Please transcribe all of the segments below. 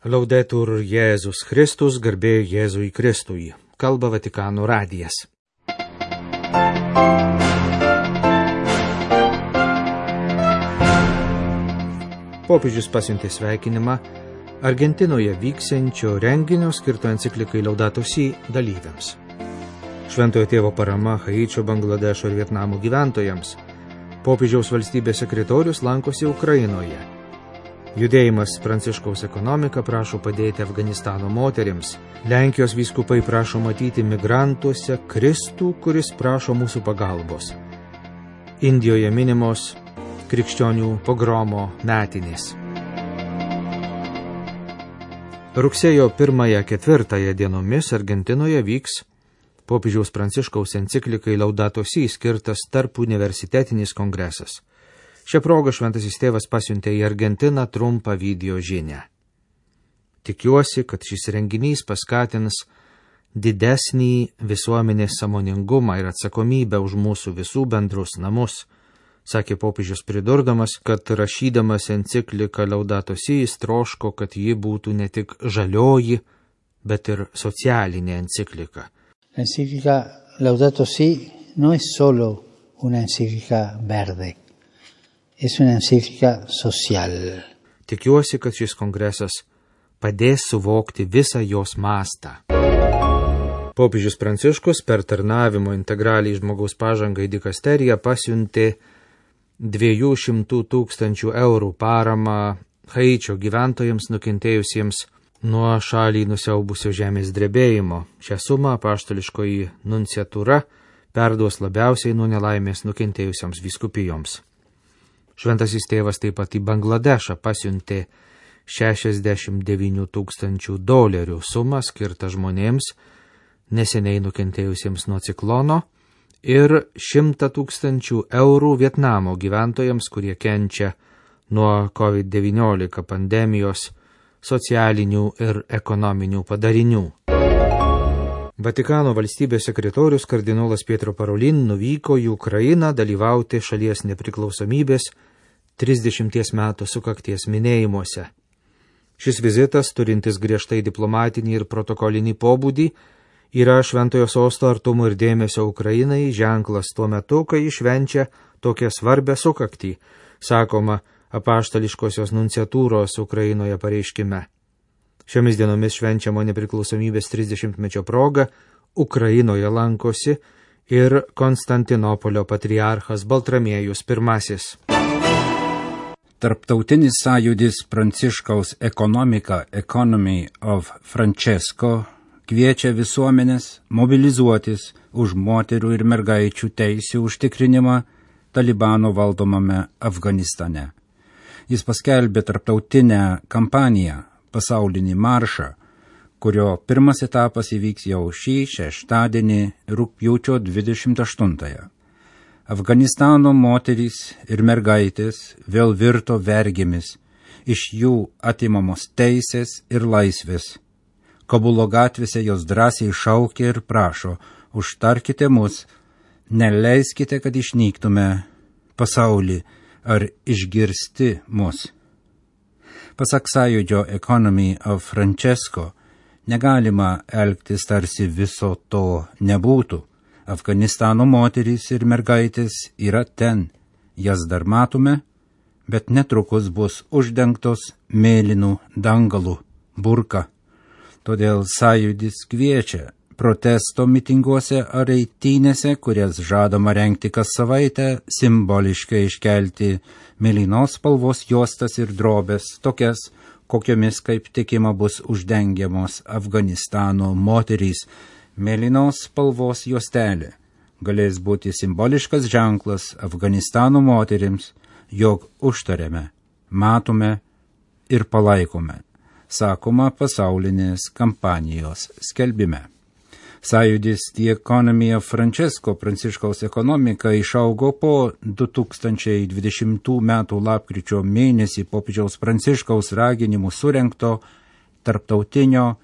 Laudetur Jėzus Kristus, garbė Jėzui Kristui. Kalba Vatikano radijas. Popiežius pasiuntė sveikinimą Argentinoje vyksiančio renginio skirto enciklikai Laudato Si dalyviams. Šventojo tėvo parama Haičio, Bangladešo ir Vietnamo gyventojams. Popiežiaus valstybės sekretorius lankosi Ukrainoje. Judėjimas Pranciškaus ekonomika prašo padėti Afganistano moterims. Lenkijos vyskupai prašo matyti migrantuose Kristų, kuris prašo mūsų pagalbos. Indijoje minimos krikščionių pogromo metinės. Rugsėjo 1-4 dienomis Argentinoje vyks popiežiaus Pranciškaus enciklikai Laudato Si skirtas tarp universitetinis kongresas. Šią progą šventasis tėvas pasiuntė į Argentiną trumpą video žinią. Tikiuosi, kad šis renginys paskatins didesnį visuomenės sąmoningumą ir atsakomybę už mūsų visų bendrus namus, sakė popiežius pridurdamas, kad rašydamas encikliką Laudato Si jis troško, kad ji būtų ne tik žalioji, bet ir socialinė enciklika. L'enciclica Laudato Si no es solo una enciclica verde. Es una encíclica social. Tikiuosi, kad šis kongresas padės suvokti visą jos mastą. Popiežius Pranciškus per tarnavimo integraliai žmogaus pažangai dikasteriją pasiuntė 200 000 eurų paramą Haičio gyventojams nukentėjusiems nuo šalį nusiaubusio žemės drebėjimo. Šią sumą apaštališkoji nunciatūra perduos labiausiai nuo nelaimės nukentėjusiams vyskupijoms. Šventasis tėvas taip pat į Bangladešą pasiuntė $69 000 sumą skirtą žmonėms neseniai nukentėjusiems nuo ciklono ir 100 000 eurų Vietnamo gyventojams, kurie kenčia nuo COVID-19 pandemijos socialinių ir ekonominių padarinių. Vatikano valstybės sekretorius kardinolas Pietro Parolin nuvyko į Ukrainą dalyvauti šalies nepriklausomybės 30 metų sukakties minėjimuose. Šis vizitas, turintis griežtai diplomatinį ir protokolinį pobūdį, yra šventojo sosto artumo ir dėmesio Ukrainai ženklas tuo metu, kai švenčia tokią svarbę sukaktį, sakoma apaštališkosios nunciatūros Ukrainoje pareiškime. Šiomis dienomis švenčiamo nepriklausomybės 30-mečio proga Ukrainoje lankosi ir Konstantinopolio patriarchas Baltramiejus I. Tarptautinis sąjūdis Pranciškaus ekonomika Economy of Francesco kviečia visuomenės mobilizuotis už moterų ir mergaičių teisių užtikrinimą Talibano valdomame Afganistane. Jis paskelbė tarptautinę kampaniją pasaulinį maršą, kurio pirmas etapas įvyks jau šį šeštadienį rugpjūčio 28. Afganistano moterys ir mergaitės vėl virto vergėmis, iš jų atimamos teisės ir laisvės. Kabulo gatvėse jos drąsiai šaukia ir prašo, užtarkite mus, neleiskite, kad išnyktume pasaulį ar išgirsti mus. Pasak sąjūdžio Economy of Francesco, negalima elgtis tarsi viso to nebūtų. Afganistano moterys ir mergaitės yra ten, jas dar matome, bet netrukus bus uždengtos mėlynų dangalų, burka. Todėl sąjūdis kviečia protesto mitinguose ar eitynėse, kurias žadama rengti kas savaitę, simboliškai iškelti mėlynos spalvos juostas ir drobės, tokias, kokiomis kaip tikima bus uždengiamos Afganistano moterys. Mėlynos spalvos juostelė galės būti simboliškas ženklas Afganistano moterims, jog užtarėme, matome ir palaikome, sakoma pasaulinės kampanijos skelbime. Sąjūdis The Economy of Francesco Pranciškaus ekonomika išaugo po 2020 metų lapkričio mėnesį popiežiaus Pranciškaus raginimų surengto tarptautinio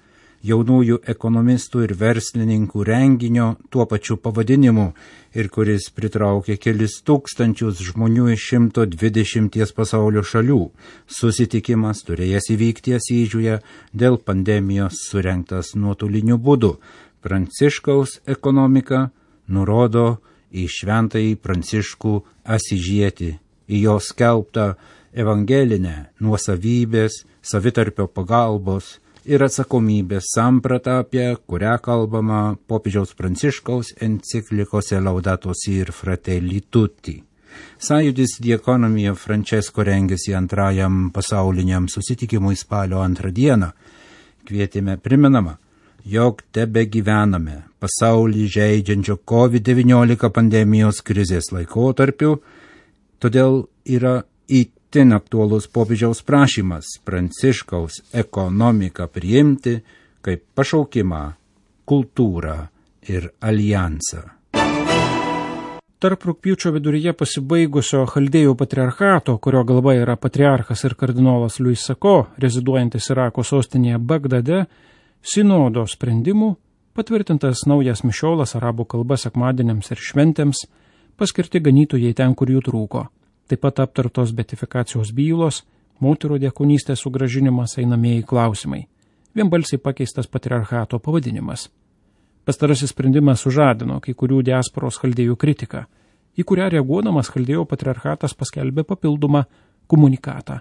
jaunųjų ekonomistų ir verslininkų renginio tuo pačiu pavadinimu ir kuris pritraukė kelis tūkstančius žmonių iš 120 pasaulio šalių. Susitikimas turėjęs įvykti Asyžiuje, dėl pandemijos surengtas nuotoliniu būdu. Pranciškaus ekonomika nurodo į šventąjį Pranciškų Asyžietį, į jo skelbtą evangelinę nuosavybės, savitarpio pagalbos ir atsakomybės sampratą, apie kurią kalbama popiežiaus Pranciškaus enciklikose Laudato Si ir Fratelli Tutti. Sąjūdis The Economy of Francesco rengėsi antrajam pasauliniam susitikimui spalio 2 dieną. Kvietėme primenama, jog tebe gyvename pasaulį žeidžiančio COVID-19 pandemijos krizės laikotarpiu, todėl yra itin aktuolus popiežiaus prašymas Pranciškaus ekonomiką priimti kaip pašaukimą, kultūrą ir alijansą. Tarp rugpjūčio viduryje pasibaigusio Chaldėjų patriarchato, kurio galva yra patriarchas ir kardinolas Luis Sako, reziduojantis Irako sostinėje Bagdade, sinodo sprendimų patvirtintas naujas mišiolas arabų kalba sekmadieniams ir šventėms, paskirti ganytojai ten, kur jų trūko. Taip pat aptartos beatifikacijos bylos, moterų diakonystės sugrąžinimas, einamieji klausimai. Vienbalsiai pakeistas patriarchato pavadinimas. Pastarasis sprendimas sužadino kai kurių diasporos Chaldėjų kritiką, į kurią reaguodamas Chaldėjų patriarchatas paskelbė papildomą komunikatą.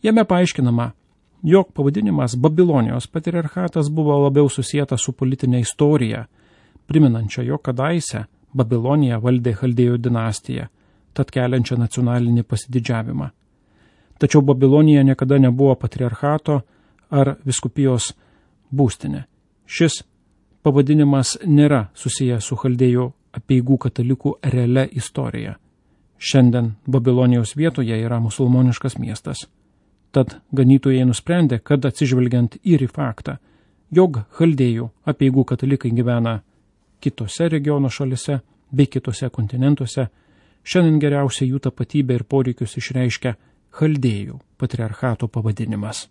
Jame paaiškinama, jog pavadinimas Babilonijos patriarchatas buvo labiau susijęta su politinė istorija, priminančia, jog kadaise Babiloniją valdė Chaldėjų dinastija, tad keliančia nacionalinį pasididžiavimą. Tačiau Babilonija niekada nebuvo patriarchato ar viskupijos būstinė. Šis pavadinimas nėra susijęs su Chaldėjų apeigų katalikų realia istorija. Šiandien Babilonijos vietoje yra musulmoniškas miestas. Tad ganytojai nusprendė, kad atsižvelgiant ir į faktą, jog Chaldėjų apeigų katalikai gyvena kitose regiono šalise bei kitose kontinentuose, šiandien geriausiai jų tapatybę ir poreikius išreiškia Chaldėjų patriarchato pavadinimas.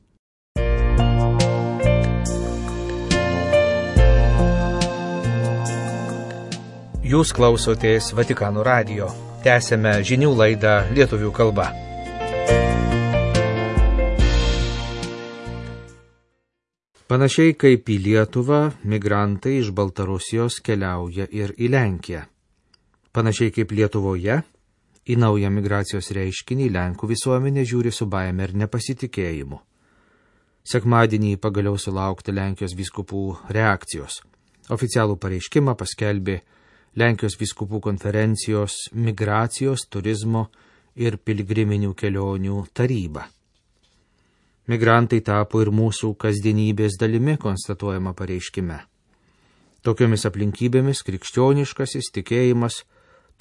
Jūs klausotės Vatikano radijo. Tęsėme žinių laidą lietuvių kalba. Panašiai kaip į Lietuvą, migrantai iš Baltarusijos keliauja ir į Lenkiją. Panašiai kaip Lietuvoje, į naują migracijos reiškinį Lenkų visuomenė žiūri su baime ir nepasitikėjimu. Sekmadienį pagaliau sulaukti Lenkijos vyskupų reakcijos. Oficialų pareiškimą paskelbė Lenkijos vyskupų konferencijos migracijos, turizmo ir piligriminių kelionių taryba. Migrantai tapo ir mūsų kasdienybės dalimi, konstatuojama pareiškime. Tokiomis aplinkybėmis krikščioniškasis tikėjimas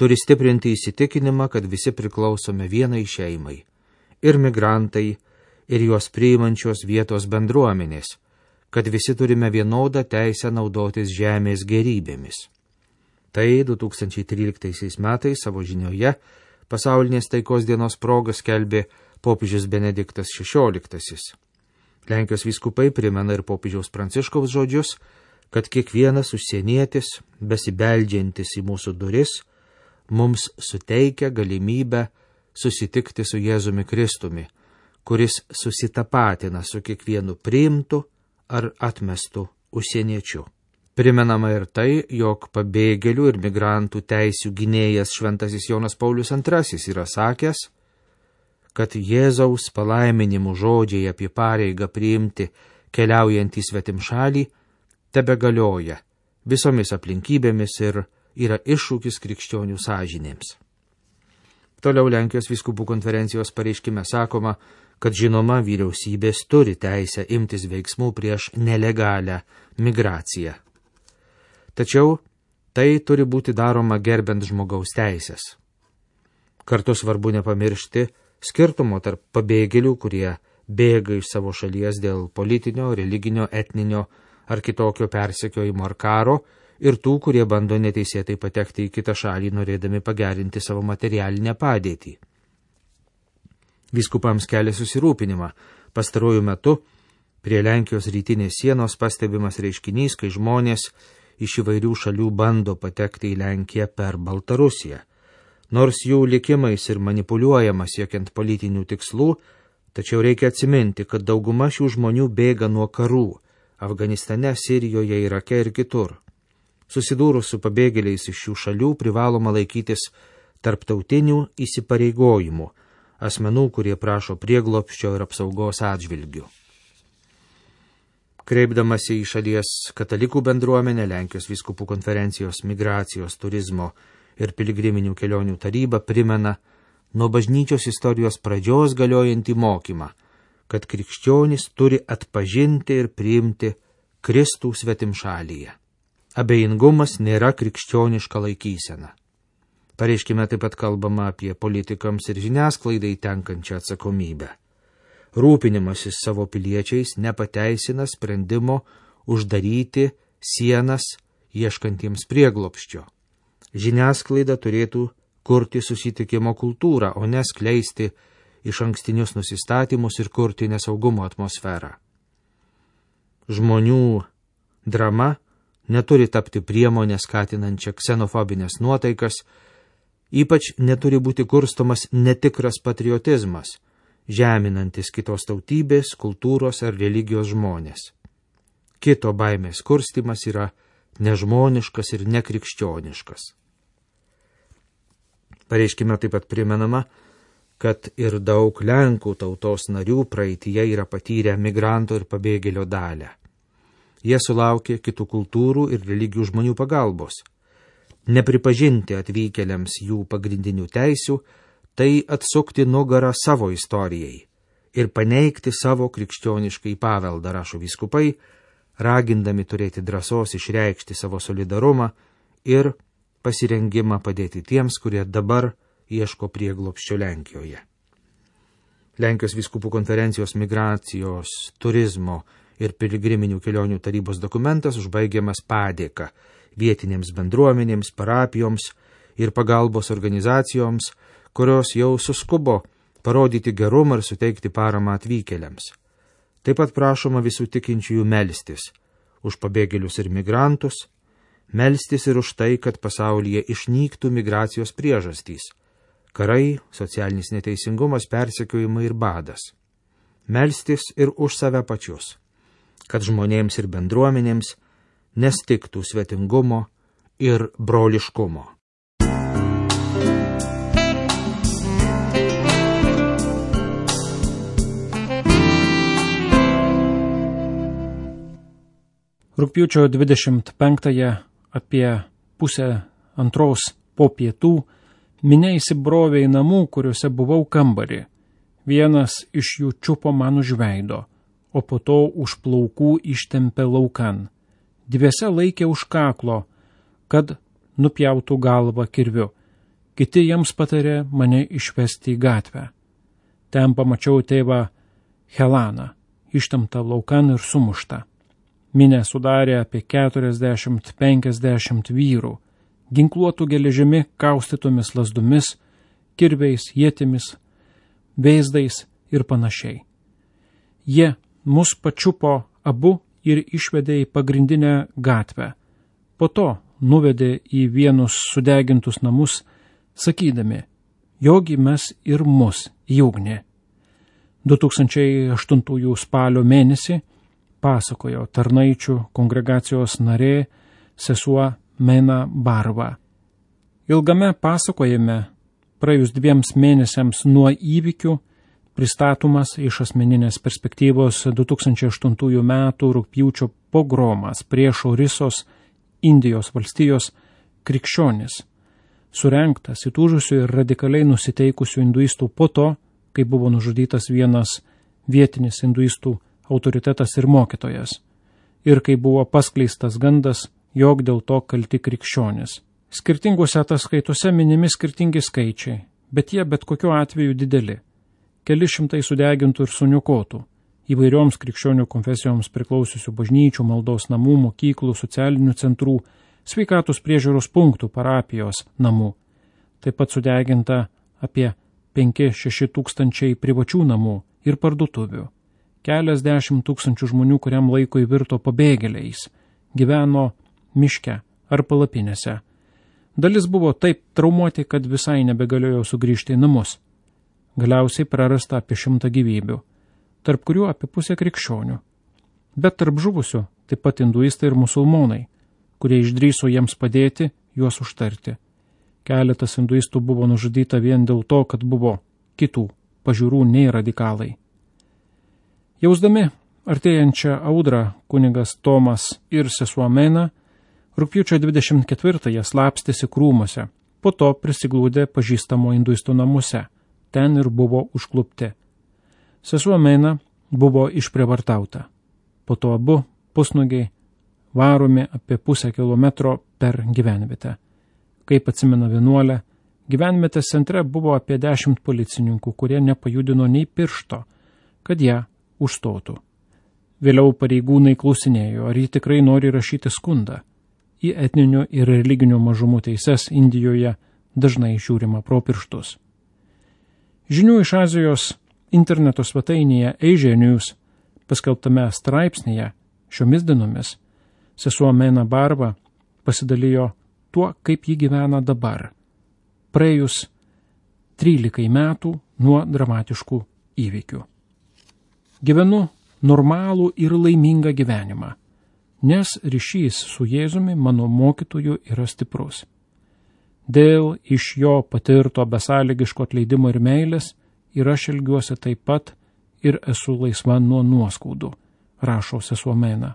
turi stiprinti įsitikinimą, kad visi priklausome vienai šeimai – ir migrantai, ir juos priimančios vietos bendruomenės, kad visi turime vienodą teisę naudotis žemės gerybėmis. Tai 2013 metais savo žinioje pasaulinės taikos dienos proga skelbė popiežius Benediktas XVI. Lenkijos vyskupai primena ir popiežiaus Pranciškaus žodžius, kad kiekvienas užsienietis, besibeldžiantis į mūsų duris, mums suteikia galimybę susitikti su Jėzumi Kristumi, kuris susitapatina su kiekvienu priimtu ar atmestu užsieniečiu. Primenama ir tai, jog pabėgėlių ir migrantų teisių gynėjas šventasis Jonas Paulius II yra sakęs, kad Jėzaus palaiminimų žodžiai apie pareigą priimti keliaujant į svetimšalį tebegalioja visomis aplinkybėmis ir yra iššūkis krikščionių sąžinėms. Toliau Lenkijos vyskupų konferencijos pareiškime sakoma, kad žinoma vyriausybės turi teisę imtis veiksmų prieš nelegalią migraciją. Tačiau tai turi būti daroma gerbent žmogaus teisės. Kartu svarbu nepamiršti skirtumo tarp pabėgėlių, kurie bėga iš savo šalies dėl politinio, religinio, etninio ar kitokio persekiojimo ar karo, ir tų, kurie bando neteisėtai patekti į kitą šalį, norėdami pagerinti savo materialinę padėtį. Vyskupams kelia susirūpinimą pastaruoju metu Prie Lenkijos rytinės sienos pastebimas reiškinys, kai žmonės iš įvairių šalių bando patekti į Lenkiją per Baltarusiją. Nors jų likimais ir manipuliuojama siekiant politinių tikslų, tačiau reikia atsiminti, kad dauguma šių žmonių bėga nuo karų Afganistane, Sirijoje, Irake ir kitur. Susidūrus su pabėgėliais iš šių šalių privaloma laikytis tarptautinių įsipareigojimų asmenų, kurie prašo prieglobsčio ir apsaugos atžvilgių. Kreipdamasi į šalies katalikų bendruomenę, Lenkijos vyskupų konferencijos migracijos, turizmo ir piligriminių kelionių taryba primena nuo bažnyčios istorijos pradžios galiojantį mokymą, kad krikščionys turi atpažinti ir priimti Kristų svetimšalyje. Abejingumas nėra krikščioniška laikysena. Pareiškime taip pat kalbama apie politikams ir žiniasklaidai tenkančią atsakomybę. Rūpinimasis savo piliečiais nepateisina sprendimo uždaryti sienas ieškantiems prieglobsčio. Žiniasklaida turėtų kurti susitikimo kultūrą, o ne skleisti išankstinius nusistatymus ir kurti nesaugumo atmosferą. Žmonių drama neturi tapti priemonę skatinančią ksenofobinės nuotaikas, ypač neturi būti kurstomas netikras patriotizmas, žeminantis kitos tautybės, kultūros ar religijos žmonės. Kito baimės kurstimas yra nežmoniškas ir nekrikščioniškas. Pareiškime taip pat primenama, kad ir daug Lenkų tautos narių praeityje yra patyrę migranto ir pabėgėlio dalią. Jie sulaukė kitų kultūrų ir religijų žmonių pagalbos. Nepripažinti atvykėliams jų pagrindinių teisių, tai atsukti nugarą savo istorijai ir paneigti savo krikščioniškai paveldą, rašo vyskupai, ragindami turėti drąsos išreikšti savo solidarumą ir pasirengimą padėti tiems, kurie dabar ieško prieglobsčio Lenkijoje. Lenkijos vyskupų konferencijos migracijos, turizmo ir piligriminių kelionių tarybos dokumentas užbaigiamas padėka vietinėms bendruomenėms, parapijoms ir pagalbos organizacijoms, kurios jau suskubo parodyti gerumą ir suteikti paramą atvykėliams. Taip pat prašoma visų tikinčiųjų melstis už pabėgėlius ir migrantus, melstis ir už tai, kad pasaulyje išnyktų migracijos priežastys – karai, socialinis neteisingumas, persekiojimai ir badas. Melstis ir už save pačius, kad žmonėms ir bendruomenėms nestigtų svetingumo ir broliškumo. Rugpjūčio 25-ąją apie 1:30 po pietų minia įsibrovė į namų, kuriuose buvau kambarį. Vienas iš jų čiupo man už veido, o po to už plaukų ištempė laukan. Dviese laikė už kaklo, kad nupjautų galvą kirviu. Kiti jiems patarė mane išvesti į gatvę. Ten pamačiau tėvą Helaną, ištemptą laukan ir sumuštą. Minę sudarė apie 40-50 vyrų, ginkluotų geležimi kaustytomis lazdomis, kirviais, ietimis, veizdais ir panašiai. Jie mus pačiupo abu ir išvedė į pagrindinę gatvę. Po to nuvedė į vienus sudegintus namus, sakydami, jogi mes ir mus į ugnį. 2008 spalio mėnesį pasakojo tarnaičių kongregacijos narė sesuo Mena Barva. Ilgame pasakojime, praėjus 2 mėnesiams nuo įvykių, pristatomas iš asmeninės perspektyvos 2008 metų rugpjūčio pogromas prieš Orisos, Indijos valstijos krikščionis, surengtas įtūžusių ir radikaliai nusiteikusių hinduistų po to, kai buvo nužudytas vienas vietinis hinduistų autoritetas ir mokytojas, ir kai buvo paskleistas gandas, jog dėl to kalti krikščionis. Skirtingose ataskaitose minimi skirtingi skaičiai, bet jie bet kokiu atveju dideli. Keli šimtai sudegintų ir suniokotų, įvairioms krikščionių konfesijoms priklausiusių bažnyčių, maldos namų, mokyklų, socialinių centrų, sveikatos priežiūros punktų, parapijos namų. Taip pat sudeginta apie 5-6 tūkstančiai privačių namų ir parduotuvių. keliasdešimt tūkstančių žmonių kuriam laikui virto pabėgėliais, gyveno miške ar palapinėse. Dalis buvo taip traumuoti, kad visai nebegalėjo sugrįžti į namus. Galiausiai prarasta apie 100 gyvybių, tarp kurių apie pusę krikščionių. Bet tarp žuvusių taip pat hinduistai ir musulmonai, kurie išdrįso jiems padėti, juos užtarti. Keletas hinduistų buvo nužudyta vien dėl to, kad buvo kitų pažiūrų nei radikalai. Jausdami artėjančią audrą kunigas Tomas ir sesuo Mena rugpjūčio 24-ąją slapstėsi krūmuose, po to prisiglūdė pažįstamo hinduistų namuose, ten ir buvo užklupti. Sesuo Mena buvo išprievartauta, po to abu pusnugiai varomi apie pusę kilometro per gyvenvietę. Kaip atsimena vienuolė, gyvenvietės centre buvo apie 10 policininkų, kurie nepajudino nei piršto, kad ją užstotų. Vėliau pareigūnai klausinėjo, ar ji tikrai nori rašyti skundą. Į etninių ir religinių mažumų teises Indijoje dažnai žiūrima pro pirštus. Žinių iš Azijos interneto svetainėje Asia News paskelbtame straipsnėje šiomis dienomis sesuo Mena Barva pasidalijo tuo, kaip ji gyvena dabar, praėjus 13 metų nuo dramatiškų įvykių. Gyvenu normalų ir laimingą gyvenimą, nes ryšys su Jėzumi mano mokytoju yra stiprus. Dėl iš jo patirto besąlygiško atleidimo ir meilės ir aš elgiuosi taip pat ir esu laisva nuo nuoskaudų, rašo sesuo Mena.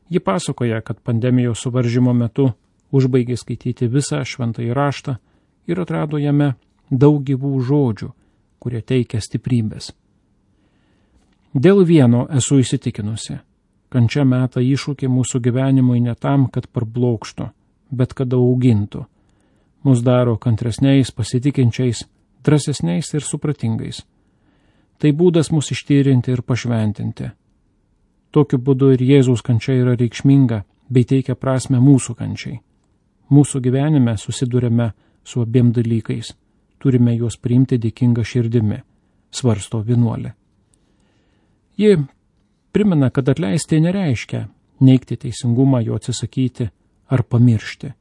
Ji pasakoja, kad pandemijos suvaržymo metu užbaigė skaityti visą šventąjį raštą ir atrado jame daug gyvų žodžių, kurie teikia stiprybės. Dėl vieno esu įsitikinusi, kančia meta iššūkį mūsų gyvenimui ne tam, kad parblokštų, bet kad augintų. Mus daro kantresniais, pasitikinčiais, drąsesniais ir supratingais. Tai būdas mus ištyrinti ir pašventinti. Tokiu būdu ir Jėzaus kančia yra reikšminga, bei teikia prasme mūsų kančiai. Mūsų gyvenime susidurėme su abiem dalykais. Turime juos priimti dėkinga širdimi, svarsto vienuolė. Ji primena, kad atleisti nereiškia neigti teisingumą, jo atsisakyti ar pamiršti.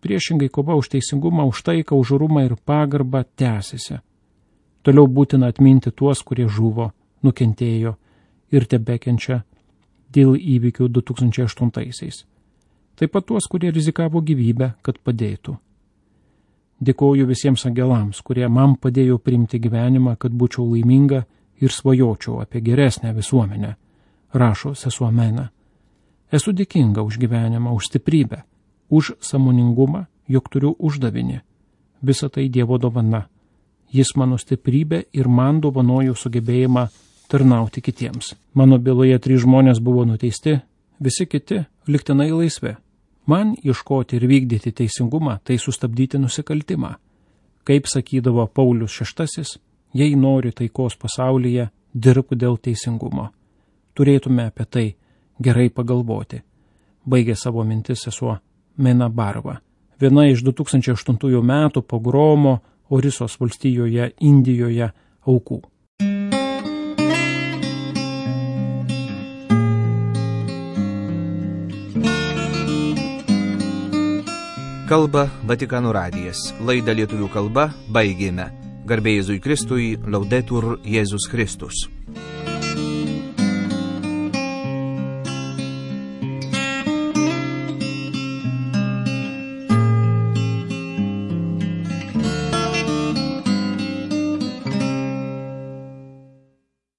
Priešingai kova už teisingumą, už taiką, už orumą ir pagarbą tęsiasi. Toliau būtina atminti tuos, kurie žuvo, nukentėjo ir tebekenčia dėl įvykių 2008-aisiais. Taip pat tuos, kurie rizikavo gyvybę, kad padėtų. Dėkoju visiems angelams, kurie man padėjo priimti gyvenimą, kad būčiau laiminga ir svajočiau apie geresnę visuomenę, rašo sesuo Mena. Esu dėkinga už gyvenimą, už stiprybę, už sąmoningumą, jog turiu uždavinį. Visa tai Dievo dovana. Jis mano stiprybė ir man dovanojo sugebėjimą tarnauti kitiems. Mano byloje 3 žmonės buvo nuteisti, visi kiti lygtinai laisvi. Man ieškoti ir vykdyti teisingumą, tai sustabdyti nusikaltimą. Kaip sakydavo Paulius VI, jei nori taikos pasaulyje, dirbk dėl teisingumo. Turėtume apie tai gerai pagalvoti. Baigė savo mintis sesuo Mena Barva, viena iš 2008 metų pogromo Orisos valstijoje Indijoje aukų. Kalba Vatikano radijas. Laidą lietuvių kalba baigėme. Garbė Jėzui Kristui, Laudetur Jėzus Kristus.